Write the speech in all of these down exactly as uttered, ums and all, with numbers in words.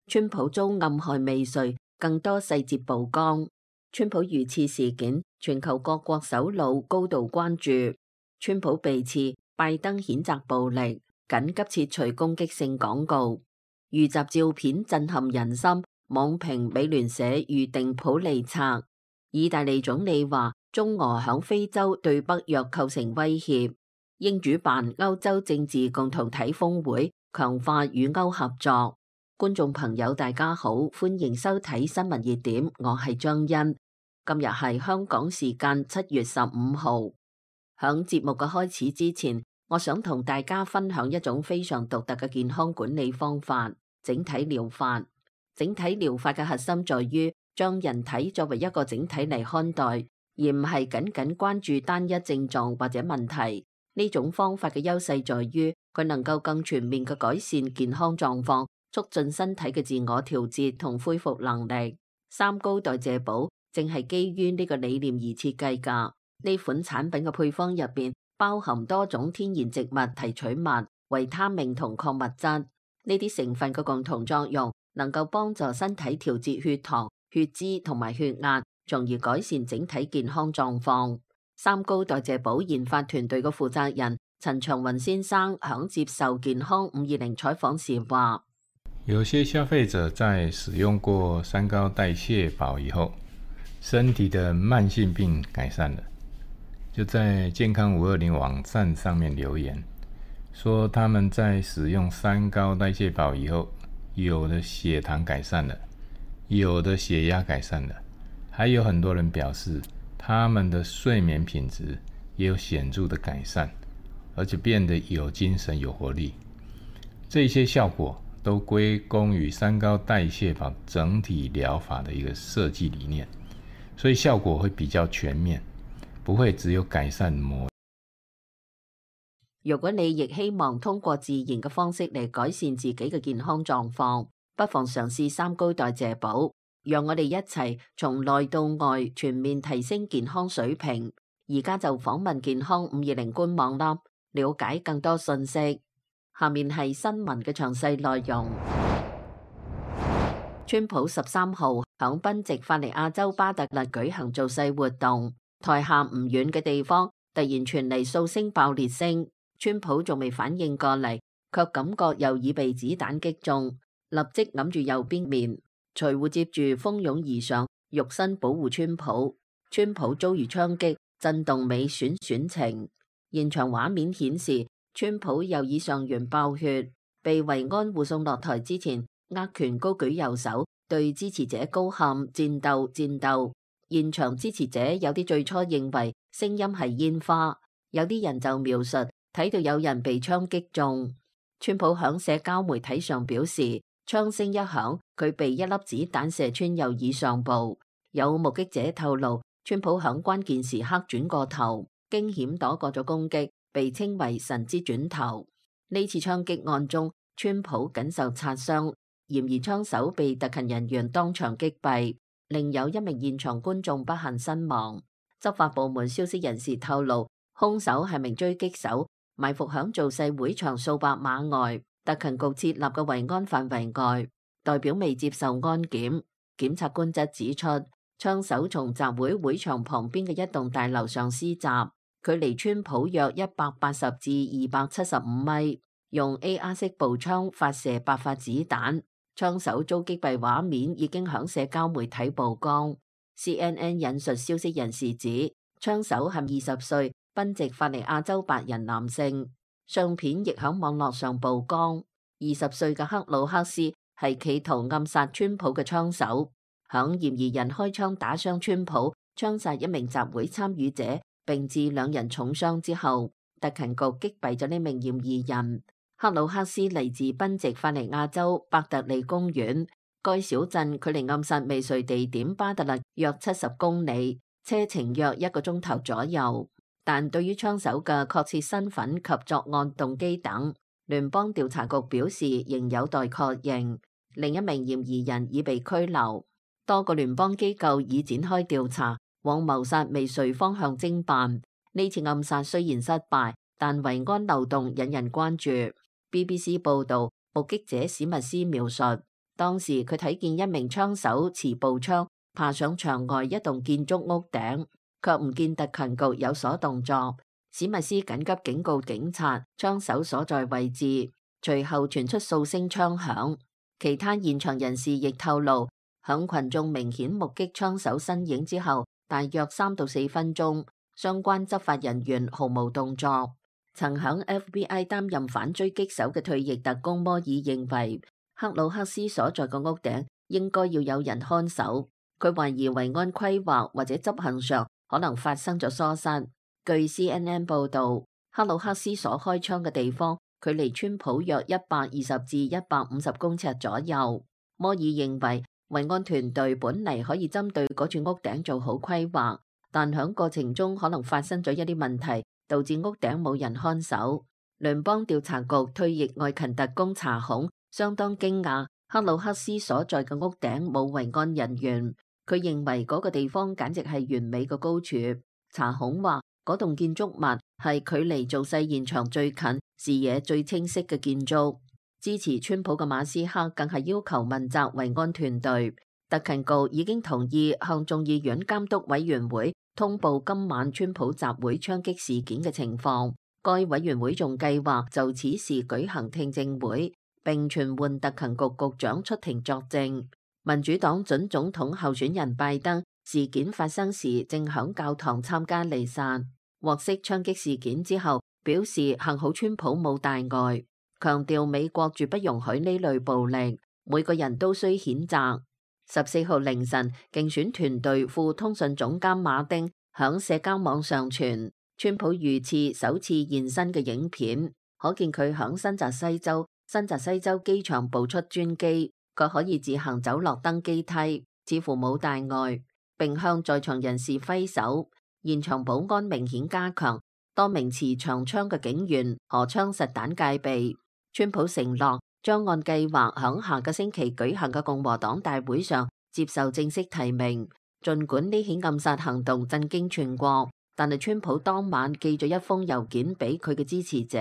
川普遭暗害未遂，更多細節曝光。川普遇刺事件，全球各國首腦高度關注。川普被刺，拜登譴責暴力，緊急撤除攻擊性廣告。遇襲照片震撼人心，網評美聯社預定普利策。意大利總理話中俄響非洲對北約構成威脅。英主辦歐洲政治共同體峰會，強化與歐合作。觀眾朋友大家好，歡迎收睇新聞熱點，我係張欣。今日係香港時間七月十五號。響節目嘅開始之前，我想同大家分享一種非常獨特嘅健康管理方法——整體療法。整體療法嘅核心在於將人體作為一個整體嚟看待，而唔係僅僅關注單一症狀或者問題。呢種方法嘅優勢在於佢能夠更全面嘅改善健康狀況，促進身體嘅自我調節同恢復能力。三高代謝寶正係基於呢個理念而設計㗎。呢款產品嘅配方入邊包含多種天然植物提取物、維他命同礦物質。呢啲成分嘅共同作用能夠幫助身體調節血糖、血脂同埋血壓，從而改善整體健康狀況。三高代謝寶研發團隊嘅負責人陳長雲先生響接受健康五二零採訪時話：有些消費者在使用過三高代謝寶以後，身體的慢性病改善了，就在健康五二零網站上面留言，說他們在使用三高代謝寶以後，有的血糖改善了，有的血壓改善了，還有很多人表示他們的睡眠品質也有顯著的改善，而且變得有精神有活力。這些效果都歸功於三高代謝寶整體療法的一個設計理念，所以效果會比較全面，不會只有改善某。如果你亦希望通過自然嘅方式嚟改善自己嘅健康狀況，不妨嘗試三高代謝寶。讓我哋一齊從內到外全面提升健康水平。而家就訪問健康五二零官網啦，了解更多信息。下面係新聞嘅詳細內容。川普十三號響賓夕法尼亞州巴特勒舉行造勢活動，台下唔遠嘅地方突然傳嚟數聲爆裂聲，川普仲未反應過嚟，卻感覺右耳被子彈擊中，立即揞住右邊面。隨護接住蜂擁而上，肉身保護川普。川普遭遇槍擊，震動尾損損情。現場畫面顯示，川普右耳上緣爆血，被維安護送落台之前，握拳高舉右手，對支持者高喊戰鬥戰鬥。現場支持者有啲最初認為聲音係煙花，有啲人就描述睇到有人被槍擊中。川普響社交媒體上表示，槍聲一響，佢被一粒子彈射穿右耳上部。有目擊者透露，川普響關鍵時刻轉過頭，驚險躲過咗攻擊，被稱為神之轉頭。呢次槍擊案中，川普僅受擦傷，嫌疑槍手被特勤人員當場擊斃，另有一名現場觀眾不幸身亡。執法部門消息人士透露，兇手係名狙擊手，埋伏響造勢會場數百碼外特勤局設立嘅維安範圍外，代表未接受安檢。檢察官則指出，槍手從集會會場旁邊嘅一棟大樓上施襲，距離川普約一百八十至二百七十五米，用 A R 式步槍發射八發子彈。槍手遭擊斃畫面已經響社交媒體曝光。C N N 引述消息人士指，槍手係二十歲賓夕法尼亞州白人男性。相片亦響網絡上曝光。二十歲嘅克魯克斯係企圖暗殺川普嘅槍手，響嫌疑人開槍打傷川普，槍殺一名集會參與者，並致兩人重傷之後，特勤局擊斃咗呢名嫌疑人。克魯克斯嚟自賓夕法尼亞州伯特利公園，該小鎮距離暗殺未遂地點巴特勒約七十公里，車程約一個鐘頭左右。但對於槍手嘅確切身份及作案動機等，聯邦調查局表示仍有待確認。另一名嫌疑人已被拘留。多個聯邦機構已展開調查，往謀殺未遂方向偵辦。呢次暗殺雖然失敗，但維安漏洞引人關注。B B C 報道，目擊者史密斯描述，當時佢睇見一名槍手持步槍爬上牆外一棟建築物頂，卻唔見特勤局有所動作。史密斯緊急警告警察槍手所在位置，隨後傳出數聲槍響。其他現場人士亦透露，響群眾明顯目擊槍手身影之後，大約三到四分鐘，相關執法人員毫無動作。曾響 F B I 擔任反狙擊手嘅退役特工摩爾認為，克魯克斯所在嘅屋頂應該要有人看守。佢懷疑維安規劃或者執行上可能發生咗疏失。據 C N N 報道，克魯克斯所開槍嘅地方距離川普約一百二十至一百五十公尺左右。摩爾認為維安團隊本嚟可以針對嗰處屋頂做好規劃，但響過程中可能發生咗一啲問題，導致屋頂冇人看守。聯邦調查局退役外勤特工查孔相當驚訝，克魯克斯所在嘅屋頂冇維安人員。佢認為嗰個地方簡直係完美嘅高處。查孔話，嗰棟建築物係距離造勢現場最近、視野最清晰嘅建築。支持川普嘅馬斯克更係要求問責維安團隊。特勤局已經同意向眾議院監督委員會通報今晚川普集會槍擊事件嘅情況。該委員會仲計劃就此事舉行聽證會，並傳喚特勤局局長出庭作證。民主黨準總統候選人拜登事件發生時正響教堂參加彌撒，獲悉槍擊事件之後，表示幸好川普冇大礙，強調美國絕不容許呢類暴力，每個人都需譴責。十四號凌晨，競選團隊副通訊總監馬丁響社交網上傳川普遇刺首次現身嘅影片，可見佢響新澤西州新澤西州機場步出專機，佢可以自行走落登機梯，似乎冇大礙，並向在場人士揮手。現場保安明顯加強，多名持長槍嘅警員荷槍實彈戒備。川普承諾將按計劃響下個星期舉行嘅共和黨大會上接受正式提名。儘管呢起暗殺行動震驚全國，但係川普當晚寄咗一封郵件俾佢嘅支持者，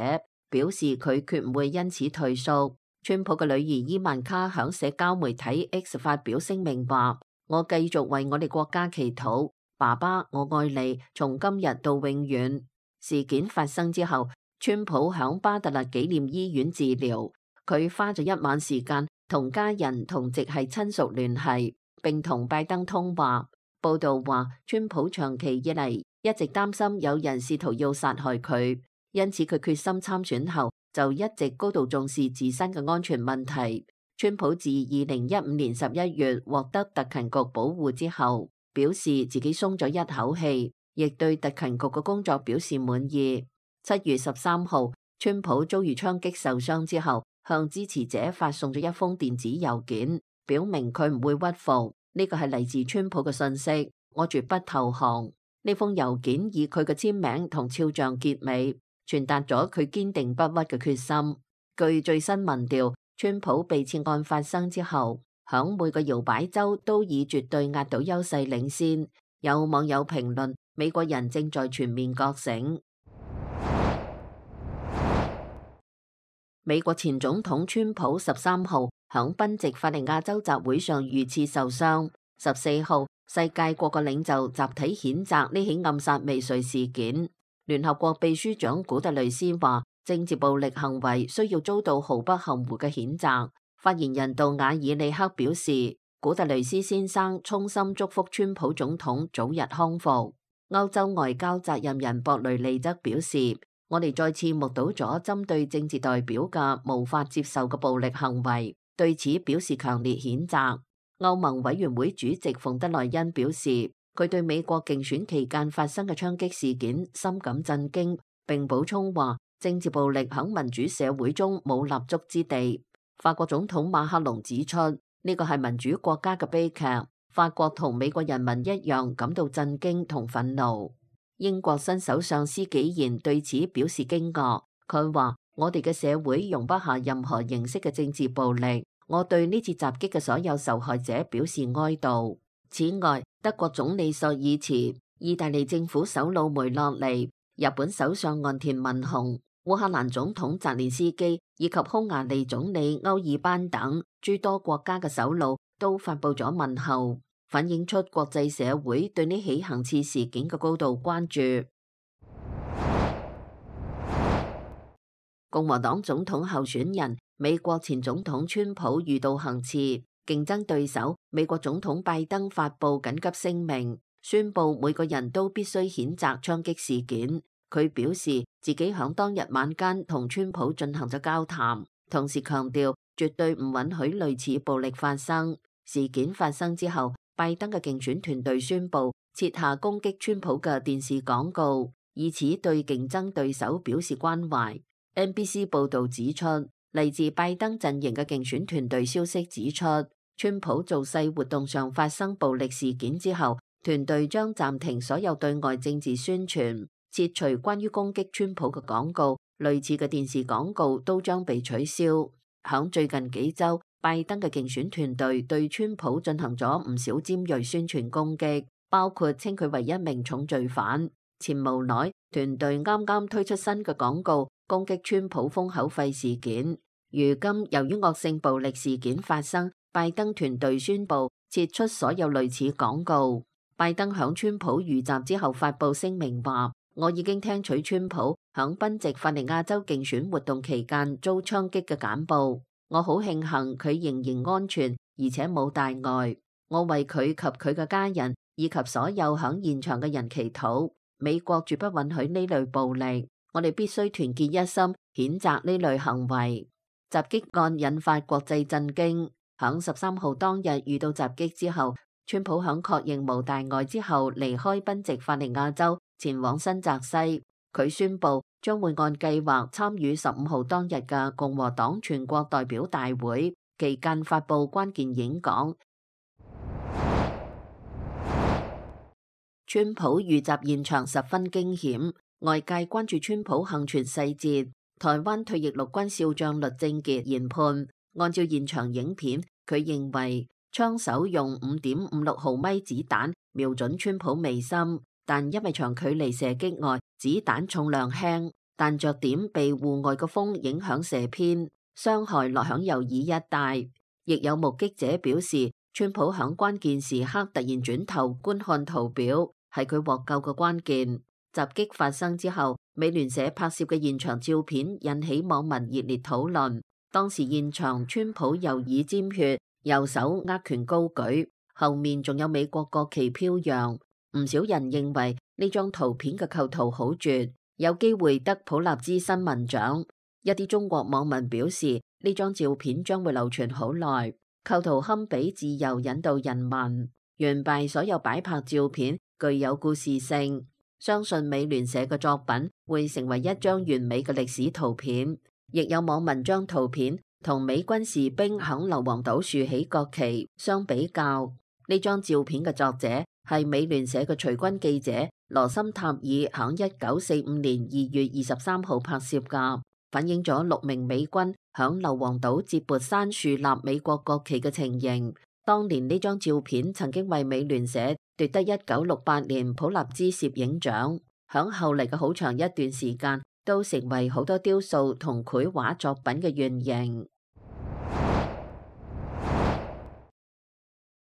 表示佢決唔會因此退縮。川普嘅女兒伊萬卡響社交媒體 X 發表聲明話：我繼續為我哋國家祈禱，爸爸，我愛你，從今日到永遠。事件發生之後，川普響巴特勒紀念醫院治療，佢花咗一晚時間同家人同直系親屬聯繫，並同拜登通話。報道話，川普長期以嚟一直擔心有人試圖要殺害佢，因此佢決心參選後就一直高度重視自身嘅安全問題。川普自二零一五年十一月獲得特勤局保護之後，表示自己鬆咗一口氣，亦對特勤局嘅工作表示滿意。七月十三號，川普遭遇槍擊受傷之後，向支持者發送咗一封電子郵件，表明佢唔會屈服。呢個係嚟自川普嘅信息，我絕不投降。呢封郵件以佢嘅簽名同肖像結尾，傳達咗佢堅定不屈嘅決心。據最新民調，川普被刺案發生之後，響每個搖擺州都以絕對壓倒優勢領先。有網友評論，美國人正在全面覺醒。美國前總統川普十三號響賓夕法尼亞州集會上遇刺受傷。十四號，世界各個領袖集體譴責呢起暗殺未遂事件。聯合國秘書長古特雷斯話，政治暴力行為需要遭到毫不含糊嘅譴責。發言人杜瓦爾利克表示，古特雷斯先生衷心祝福川普總統早日康復。歐洲外交責任人博雷利則表示，我哋再次目睹咗針對政治代表嘅無法接受嘅暴力行為，對此表示強烈譴責。歐盟委員會主席馮德萊恩表示，佢對美國競選期間發生嘅槍擊事件深感震驚，並補充話，政治暴力喺民主社會中冇立足之地。法國總統馬克龍指出，呢個係民主國家嘅悲劇，法國同美國人民一樣感到震驚同憤怒。英國新首相施紀賢對此表示驚愕，佢話，我哋嘅社會容不下任何形式嘅政治暴力，我對呢次襲擊嘅所有受害者表示哀悼。此外，德國總理朔爾茨、意大利政府首腦梅洛尼、日本首相岸田文雄、烏克蘭總統澤連斯基以及匈牙利總理歐爾班等諸多國家嘅首腦都發布咗問候，反映出國際社會對呢起行刺事件嘅高度關注。共和黨總統候選人美國前總統川普遇到行刺，競爭對手美國總統拜登發布緊急聲明，宣布每個人都必須譴責槍擊事件。佢表示自己響當日晚間同川普進行咗交談，同時強調絕對唔允許類似暴力發生。事件發生之後，拜登嘅競選團隊宣布撤下攻擊川普嘅電視廣告，以此對競爭對手表示關懷。N B C 報導指出，嚟自拜登陣營嘅競選團隊消息指出，川普造勢活動上發生暴力事件之後，團隊將暫停所有對外政治宣傳，撤除關於攻擊川普嘅廣告，類似嘅電視廣告都將被取消。響最近幾週，拜登嘅競選團隊對川普進行咗唔少尖銳宣傳攻擊，包括稱佢為一名重罪犯。前無奈，團隊啱啱推出新嘅廣告，攻擊川普封口費事件。如今由於惡性暴力事件發生，拜登團隊宣布撤出所有類似廣告。拜登響川普遇襲之後發布聲明話，我已經聽取川普響賓夕法尼亞州競選活動期間遭槍擊嘅簡報，我好慶幸佢仍然安全，而且冇大礙。我為佢及佢嘅家人以及所有響現場嘅人祈禱。美國絕不允許呢類暴力，我哋必須團結一心，譴責呢類行為。襲擊案引發國際震驚。響十三號當日遇到襲擊之後，川普響確認無大礙之後離開賓夕法尼亞州，前往新澤西。佢宣布將會按計劃參與十五號當日嘅共和黨全國代表大會，期間發布關鍵演講。川普遇襲現場十分驚險，外界關注川普幸存細節。台灣退役陸軍少將栗正傑研判，按照現場影片，佢認為槍手用五點五六毫米子彈瞄準川普眉心，但因為長距離射擊外，子彈重量輕，彈着點被戶外嘅風影響射偏，傷害落響右耳一帶。亦有目擊者表示，川普響關鍵時刻突然轉頭觀看圖表，係佢獲救嘅關鍵。襲擊發生之後，美聯社拍攝嘅現場照片引起網民熱烈討論。當時現場川普右耳沾血，右手握拳高舉，後面仲有美國國旗飄揚。唔少人認為呢張圖片嘅構圖好絕，有機會得普立茲新聞獎。一啲中國網民表示，呢張照片將會流傳好耐，構圖堪比自由引導人民。完敗所有擺拍照片具有故事性，相信美聯社嘅作品會成為一張完美嘅歷史圖片。亦有網民將圖片同美軍士兵響硫磺島豎起國旗相比較。呢張照片嘅作者係美聯社嘅隨軍記者羅森塔爾響一九四五年二月二十三號拍攝噶，反映咗六名美軍響硫磺島接缽山樹立美國國旗嘅情形。當年呢張照片曾經為美聯社奪得一九六八年普立茲攝影獎，響後嚟嘅好長一段時間都成為好多雕塑同繪畫作品嘅原型。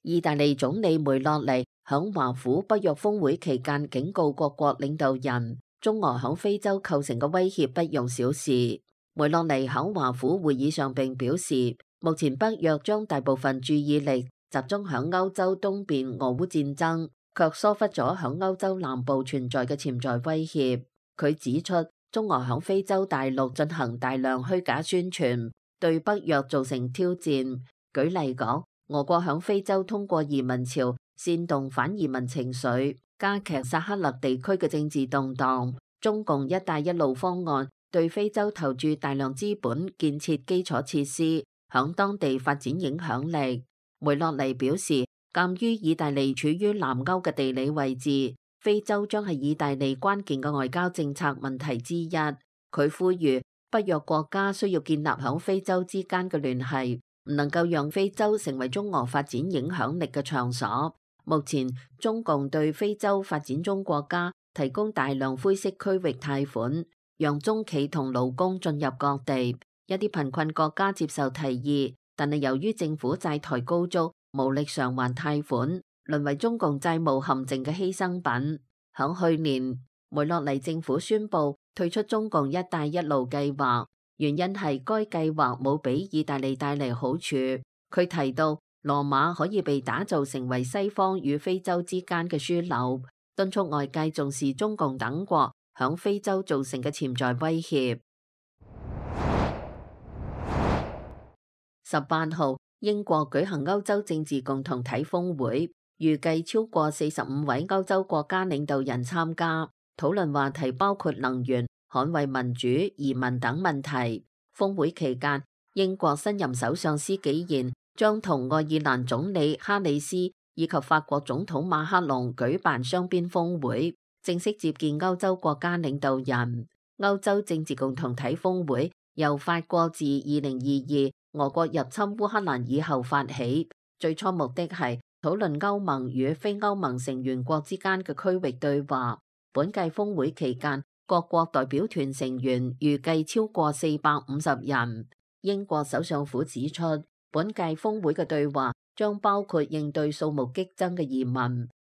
意大利總理梅洛尼響華府北約峰會期間警告各國領導人，中俄響非洲構成嘅威脅不容小視。梅洛尼響華府會議上並表示，目前北約將大部分注意力集中響歐洲東邊俄烏戰爭，卻疏忽咗響歐洲南部存在嘅潛在威脅。佢指出，中俄響非洲大陸進行大量虛假宣傳，對北約造成挑戰。舉例講，俄國響非洲通過移民潮煽動反移民情緒，加劇薩赫勒地區嘅政治動盪。中共一帶一路方案對非洲投注大量資本建設基礎設施，響當地發展影響力。梅洛尼表示，鑒於意大利處於南歐嘅地理位置，非洲將係意大利關鍵嘅外交政策問題之一。佢呼籲北約國家需要建立響非洲之間嘅聯繫，唔能夠讓非洲成為中俄發展影響力嘅場所。目前中共對非洲發展中國家提供大量灰色區域貸款，讓中企同勞工進入各地。一啲貧困國家接受提議，但係由於政府債台高築，無力償還貸款，淪為中共債務陷阱嘅犧牲品。響去年，梅洛尼政府宣布退出中共一帶一路計劃，原因係該計劃冇俾意大利帶嚟好處。佢提到，羅馬可以被打造成為西方與非洲之間嘅樞紐，敦促外界重視中共等國響非洲造成嘅潛在威脅。十八號，英國舉行歐洲政治共同體峰會，預計超過四十五位歐洲國家領導人參加，討論話題包括能源、捍衛民主、移民等問題。峰會期間，英國新任首相施紀賢將同愛爾蘭總理哈里斯以及法國總統馬克龍舉辦雙邊峰會，正式接見歐洲國家領導人。歐洲政治共同體峰會由法國自二零二二俄國入侵烏克蘭以後發起，最初目的係討論歐盟與非歐盟成員國之間嘅區域對話。本屆峰會期間，各國代表團成員預計超過四百五十人。英國首相府指出，本屆峰會嘅對話將包括應對數目激增嘅移民、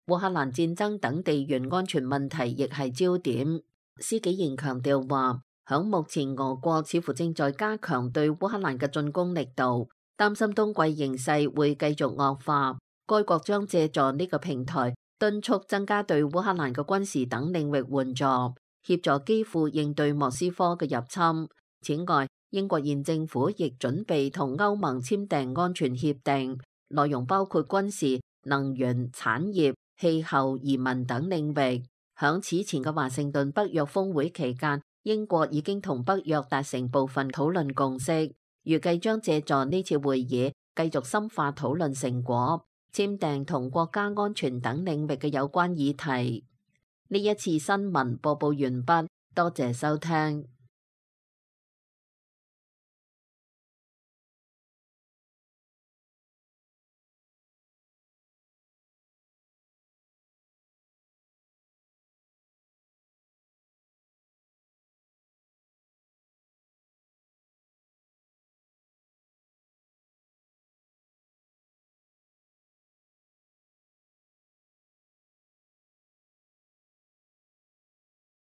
烏克蘭戰爭等地緣安全問題，亦係焦點。施紀賢強調話，響目前俄國似乎正在加強對烏克蘭嘅進攻力度，擔心冬季形勢會繼續惡化。該國將借助呢個平台，敦促增加對烏克蘭嘅軍事等領域援助，協助基輔應對莫斯科嘅入侵。此外，英國現政府亦準備同歐盟簽訂安全協定，內容包括軍事、能源、產業、氣候、移民等領域。響此前嘅華盛頓北約峰會期間，英國已經同北約達成部分討論共識，預計將借助呢次會議繼續深化討論成果，簽訂同國家安全等領域嘅有關議題。呢一次新聞播報完畢，多謝收聽。